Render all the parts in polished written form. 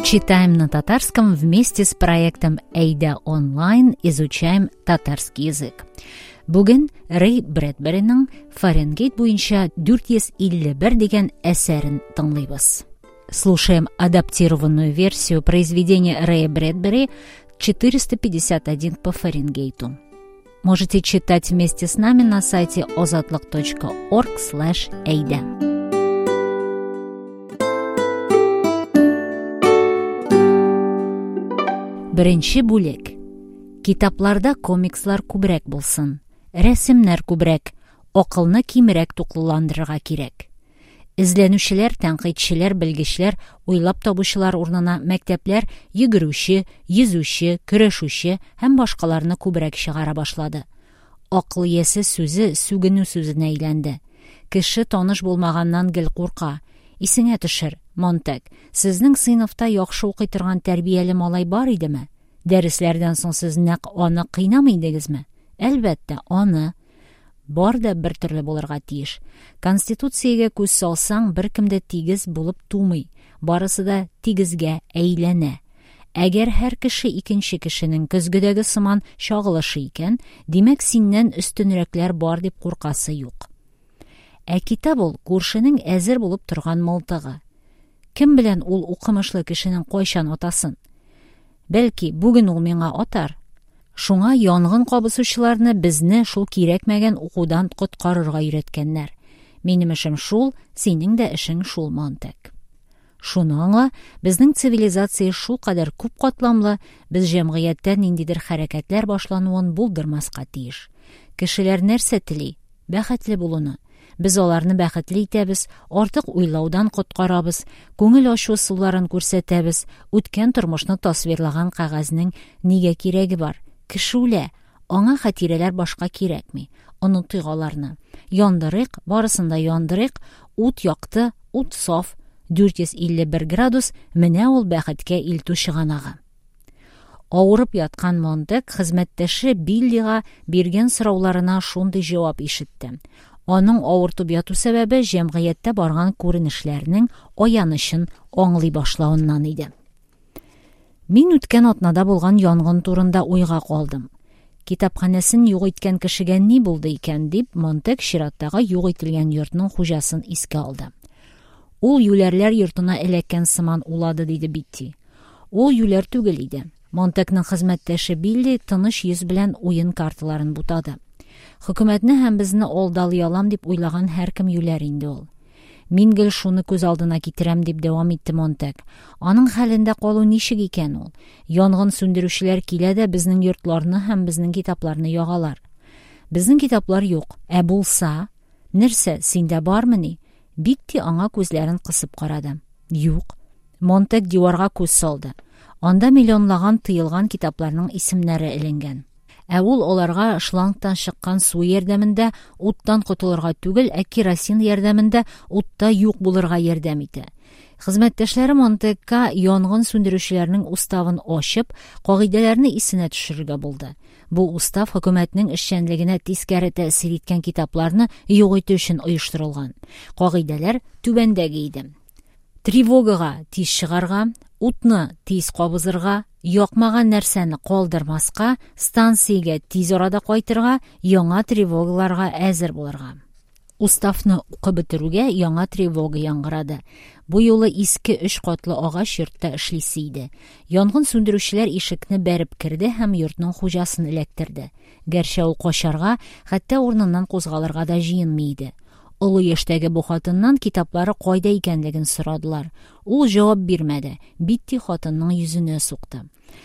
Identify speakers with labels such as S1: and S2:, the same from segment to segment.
S1: Читаем на татарском вместе с проектом Әйдә онлайн изучаем татарский язык. Бүген Рэй Брэдбериның Фаренгейт буенча 451 дигән әсәрен тыңлыйбыз. Слушаем адаптированную версию произведения Рэя Брэдбери 451 по Фаренгейту. Можете читать вместе с нами на сайте ozodlik.org/eyda. Беренче бүлек. Китапларда комикслар күбрәк булсын, рәсемнәр күбрәк, акылны кимрәк туклыландырырга кирәк. Эзләнүчеләр, тәнкыйтьчеләр, белгечләр, уйлап табучылар урынына мәктәпләр йөгерүче, йөзүче, көрәшүче һәм башкаларны күбрәк чыгара башлады. Акыл иясе сүзе сүгенү сүзенә әйләнде. Кеше таныш булмаганнан гел курка. Исеңә төшер, Монтэг, сезнең сыйныфта яхшы укый торган тәрбияле малай бар идеме? Дәресләрдән соң сез нәкъ аны кыйнамый идегезме? Әлбәттә, аны. Бар да бер төрле булырга тиеш. Конституциягә күз салсаң, беркем дә тигез булып тумый. Барысы да тигезгә әйләнә. Әгәр һәр кеше икенче кешенең көзгедәге сыман чагылышы икән, димәк, синнән өстенрәкләр бар дип куркасы юк. Ә китап ул күршенең әзер булып торган мылтыгы. Кем белән ул укымышлы кешенең кайчан атасын? Бәлки, бүген ул миңа атар. Шуңа янгын кабызучыларны безне шул кирәкмәгән укудан коткарырга өйрәткәннәр. Минем эшем шул, синең дә эшең шул, Монтэг. Шуны аңла, безнең цивилизация шулкадәр күп катламлы, без җәмгыятьтә ниндидер хәрәкәтләр башлануын булдырмаска тиеш. Кешеләр нәрсә тели? Бәхетле булуны. Без аларны бәхетле итәбез, артык уйлаудан коткарабыз, күңел ачу ысулларын күрсәтәбез, үткән тормышны тасвирлаган кәгазьнең нигә кирәге бар? Кеше үлә, аңа хатирәләр башка кирәкми. Онытыйк аларны. Яндырыйк, барысын да яндырыйк, ут якты, ут саф, 451 градус, менә ул бәхеткә илтү чыганагы. Авырып яткан Монтэг хезмәттәше Биллига биргән сорауларына шундый җавап ишетте. Аның авыртып яту сәбәбе җәмгыятьтә барган күренешләрнең аянычын аңлый башлавыннан иде. Мин үткән атнада булган янгын турында уйга калдым. Китапханәсен юк иткән кешегә ни булды икән, дип Монтэг чираттагы юк ителгән йортның хуҗасын искә алды. Ул юләрләр йортына эләккән сыман улады, диде Битти. Ул юләр түгел иде. Монтэгның хезмәттәше Билли тыныч йөз белән уен карталарын бутады. Хөкүмәтне һәм безне алдалый алам дип уйлаган һәркем юләр инде ул. Мин гел шуны күз алдына китерәм, дип дәвам итте Монтэг. Аның хәлендә калу ничек икән ул? Янгын сүндерүчеләр килә дә безнең йортларны һәм безнең китапларны ягалар. Безнең китаплар юк. Ә булса? Нәрсә, синдә бармыни? Битти аңа күзләрен кысып карады. Юк. Монтэг диварга күз салды. Анда миллионлаган тыелган китапларның исемнәре эленгән. Ә ул аларга шлангтан чыккан су ярдәмендә уттан котылырга түгел, ә керосин ярдәмендә утта юк булырга ярдәм итә. Хезмәттәшләре Монтэгка янгын сүндерүчеләрнең уставын ачып, кагыйдәләрне исенә төшерергә булды. Бу устав хөкүмәтнең эшчәнлегенә тискәре тәэсир иткән китапларны юк итү өчен оештырылган. Кагыйдәләр түбәндәге иде. Тревогага тиз чыгарга, утны тиз кабызырга, якмаган нәрсәне калдырмаска, станциягә тиз арада кайтырга, яңа тревогаларга әзер булырга. Уставны укып бетерүгә яңа тревога яңгырады. Бу юлы иске өч катлы агач йортта эшлисе иде. Янгын сүндерүчеләр ишекне бәреп керде һәм йортның хуҗасын эләктерде. Гәрчә ул качарга, хәтта урыныннан кузгалырга да җыенмый иде. Олы яшьтәге бу хатыннан китаплары кайда икәнлеген сорадылар. Ул җавап бирмәде. Битти хатынның йөзенә сукты.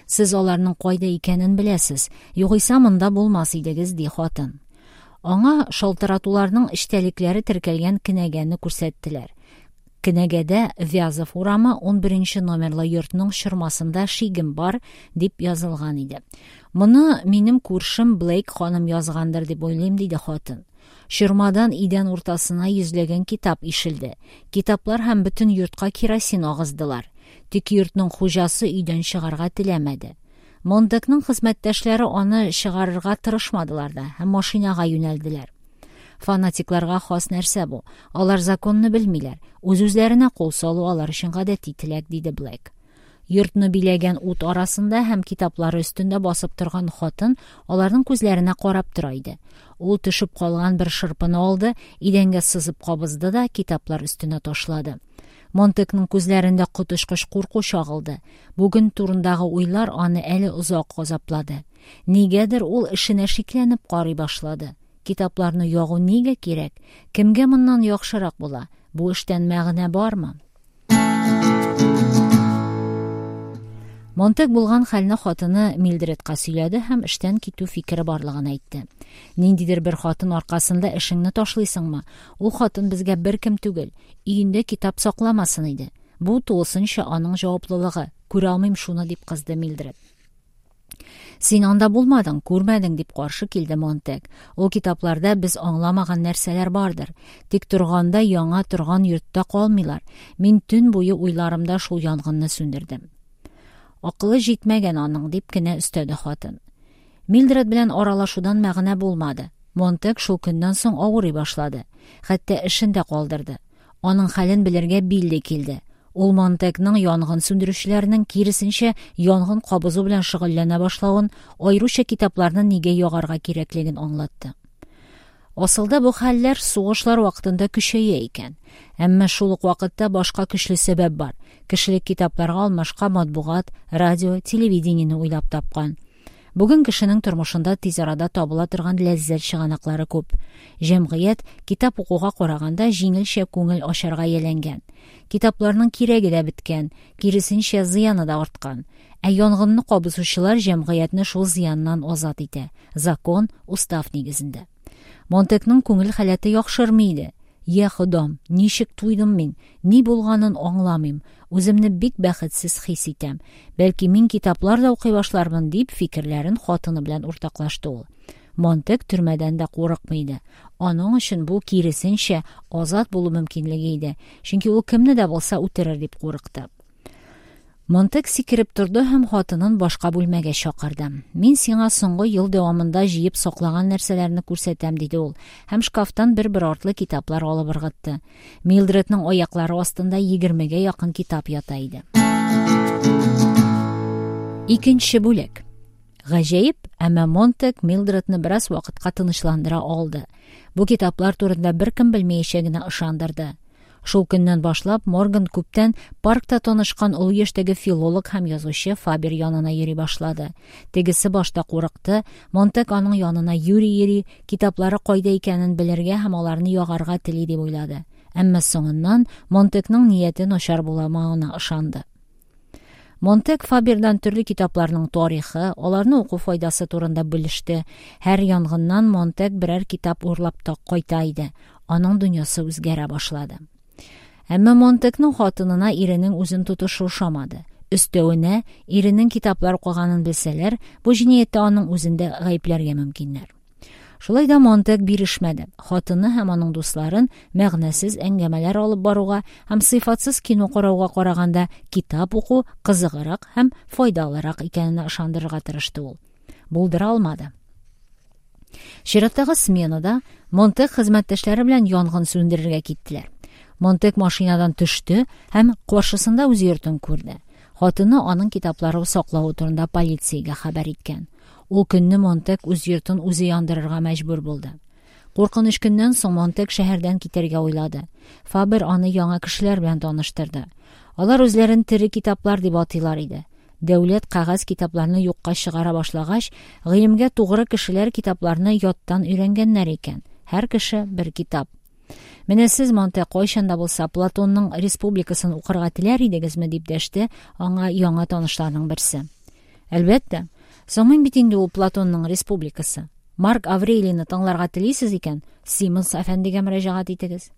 S1: Сез аларның кайда икәнен беләсез. Югыйсә монда булмас идегез, ди хатын. Аңа шалтыратуларның эчтәлекләре теркәлгән кенәгәне күрсәттеләр. Кенәгәдә Вязов урамы 11 номерлы йортның чормасында шигем бар дип язылган иде. Моны минем күршем Блейк ханым язгандыр дип уйлыйм, диде хатын. Чормадан идән уртасына йөзләгән китап ишелде. Китаплар һәм бөтен йортка керосин агыздылар. Тик йортның хуҗасы өйдән чыгарга теләмәде. Монтэгның хезмәттәшләре аны чыгарырга тырышмадылар да һәм машинага юнәлделәр. Фанатикларга хас нәрсә бу. Алар законны белмиләр. Үз-үзләренә кул салу алар өчен гадәти теләк, диде Блэк. Йортны биләгән ут арасында һәм китаплары өстендә басып торган хатын аларның күзләренә карап тора иде. Ул төшеп калган бер шырпыны алды, идәнгә сызып кабызды да китаплар өстенә ташлады. Монтекның күзләрендә коточкыч курку чагылды. Бүген турындагы уйлар аны әле озак газаплады. Нигәдер ул эшенә шикләнеп карый башлады. Китапларны ягу нигә кирәк? Кемгә моннан яхшырак була? Бу эштән мәгънә бармы? Монтек булган хәлне хатыны Милдредка сөйләде һәм эштән китү фикере барлыгын әйтте. Ниндидер бер хатын аркасында эшеңне ташлыйсыңмы? Ул хатын безгә беркем түгел. Өендә китап сакламасын иде. Бу тулысынча аның җаваплылыгы. Күрә алмыйм шуны, дип кызды Милдред. Син анда булмадың, күрмәдең, дип каршы килде Монтек. Ул китапларда без аңламаган нәрсәләр бардыр. Тик торганда яңа торган йортта калмыйлар. Мин төн буе уйларымда шул янгынны сүндердем. Акылы җитмәгән аның, дип кенә өстәде хатын. Милдред белән аралашудан мәгънә булмады. Монтек шул көннән соң авырый башлады. Хәтта эшен дә калдырды. Аның хәлен белергә Билли килде. Ул Монтекның янгын сүндерүчеләрнең, киресенчә, янгын кабызу белән шөгыльләнә башлавын, аеруча китапларны нигә ягарга кирәклеген аңлатты. Асылда бу хәлләр сугышлар вакытында көчәя икән. Әмма шул ук вакытта башка көчле сәбәп бар. Кешелек китапларга алмашка матбугат, радио, телевидениене уйлап тапкан. Бүген кешенең тормышында тиз арада табыла торган ләззәт чыганаклары күп. Җәмгыять китап укуга караганда җиңелчә күңел ачарга ияләнгән. Китапларның кирәге дә беткән, киресенчә, зыяны да арткан. Ә янгынны кабызучылар җәмгыятьне шул зыяннан азат итә. Закон, устав нигезендә. Монтекның күңел халәте яхшырмый иде. Йә Ходам, ничек туйдым мин! Ни булганын аңламыйм. Үземне бик бәхетсез хис итәм. Бәлки мин китаплар да укый башлармын, дип фикерләрен хатыны белән уртаклашты ул. Монтек төрмәдән дә курыкмый иде. Аның өчен бу, киресенчә, азат булу мөмкинлеге иде, чөнки ул кемне дә булса үтерер дип курыкты. Монтек сикереп торды һәм хатынын башка бүлмәгә чакырды. Мин сиңа соңгы ел дәвамында җыеп саклаган нәрсәләрне күрсәтәм, диде ул һәм шкафтан бер-бер артлы китаплар алып ыргытты. Милдредның аяклары астында егермегә якын китап ята иде. Икенче бүлек. Гаҗәеп, әмма Монтек Милдредны бераз вакытка тынычландыра алды. Бу китаплар турында беркем белмәячәгенә ышандырды. Шул көннән башлап Морган күптән паркта танышкан олы яшьтәге филолог һәм язучы Фабер янына йөри башлады. Тегесе башта курыкты, Монтек аның янына юри йөри, китаплары кайда икәнен белергә һәм аларны ягарга тели дип уйлады. Әмма соңыннан Монтекның нияте начар буламавына ышанды. Монтек Фабердан төрле китапларның тарихы, аларны уку файдасы турында белеште. Һәр янгыннан Монтек берәр китап урлап та кайта иде. Аның дөньясы үзгәрә башлады. Әмма Монтекның хатынына иренең үзен тотышы ошамады. Өстәвенә, иренең китаплар укыганын белсәләр, бу җинаятьтә аның үзен дә гаепләргә мөмкиннәр. Шулай да Монтек бирешмәде. Хатыны һәм аның дусларын мәгънәсез әңгәмәләр алып баруга һәм сыйфатсыз кино карауга караганда китап уку кызыграк һәм файдалырак икәненә ышандырырга тырышты ул. Булдыра алмады. Чираттагы сменада Монтек хезмәттәшләре белән янгын сүндерергә киттеләр. Монтек машинадан төште һәм каршысында үз йортын күрде. Хатыны аның китаплары саклавы турында полициягә хәбәр иткән. Ул көнне Монтек үз йортын үзе яндырырга мәҗбүр булды. Куркыныч көннән соң Монтек шәһәрдән китәргә уйлады. Фабер аны яңа кешеләр белән таныштырды. Алар үзләрен тере китаплар дип атыйлар иде. Дәүләт кәгазь китапларны юкка чыгара башлагач, гыйлемгә тугры кешеләр китапларны яттан өйрәнгәннәр икән. Һәр кеше бер китап. Менә сез, Монте, кайчан да булса Платонның Республикасын укырга теләр идегезме, дип дәште аңа яңа танышларның берсе. Әлбәттә. Соң мин бит инде ул Платонның Республикасы. Марк Аврелийны тыңларга телисез икән, Симонс әфәндегә мөрәҗәгать итегез.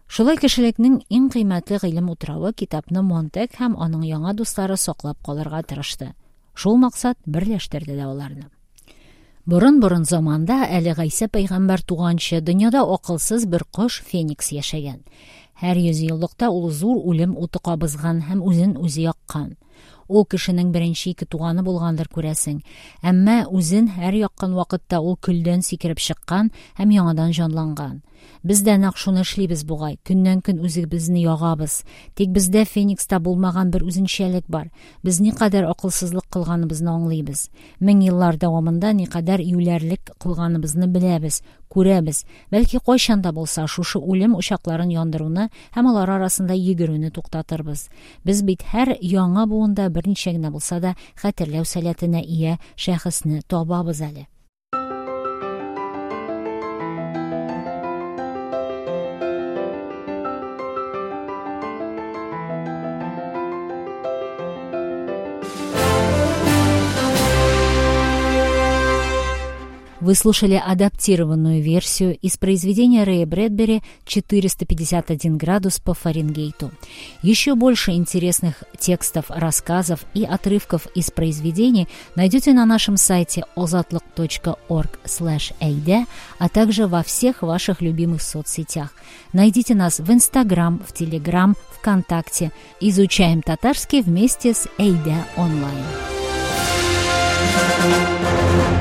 S1: Шулай кешелекнең иң кыйммәтле гыйлем утравы китапны Монтек һәм аның яңа дуслары саклап калырга тырышты. Шул максат берләштерде дә аларны. Борын-борын заманда, әле Гайсә пәйгамбәр туганчы, дөньяда акылсыз бер кош Феникс яшәгән. Һәр йөзьеллыкта ул зур үлем уты кабызган һәм үзен үзе яккан. Ул кешенең беренче ике туганы булгандыр, күрәсең. Әмма үзен һәр яккан вакытта ул көлдән сикереп чыккан һәм яңадан җанланган. Без дә нәкъ шуны эшлибез бугай, көннән-көн үзебезне ягабыз. Тик бездә Феникста булмаган бер үзенчәлек бар. Без никадәр акылсызлык кылганыбызны аңлыйбыз. Мең еллар дәвамында никадәр юләрлек кылганыбызны беләбез, күрәбез. Бәлки кайчан да булса шушы үлем учакларын яндыруны һәм алар арасында йөгерүне туктатырбыз. Без бит һәр яңа буында берничә генә булса да хәтерләү сәләтенә ия шәхесне табабыз әле. Вы слушали адаптированную версию из произведения Рэя Брэдбери «451 градус по Фаренгейту». Еще больше интересных текстов, рассказов и отрывков из произведений найдете на нашем сайте ozatliq.org/ayda, а также во всех ваших любимых соцсетях. Найдите нас в Инстаграм, в Телеграм, ВКонтакте. Изучаем татарский вместе с Эйда онлайн. Thank you.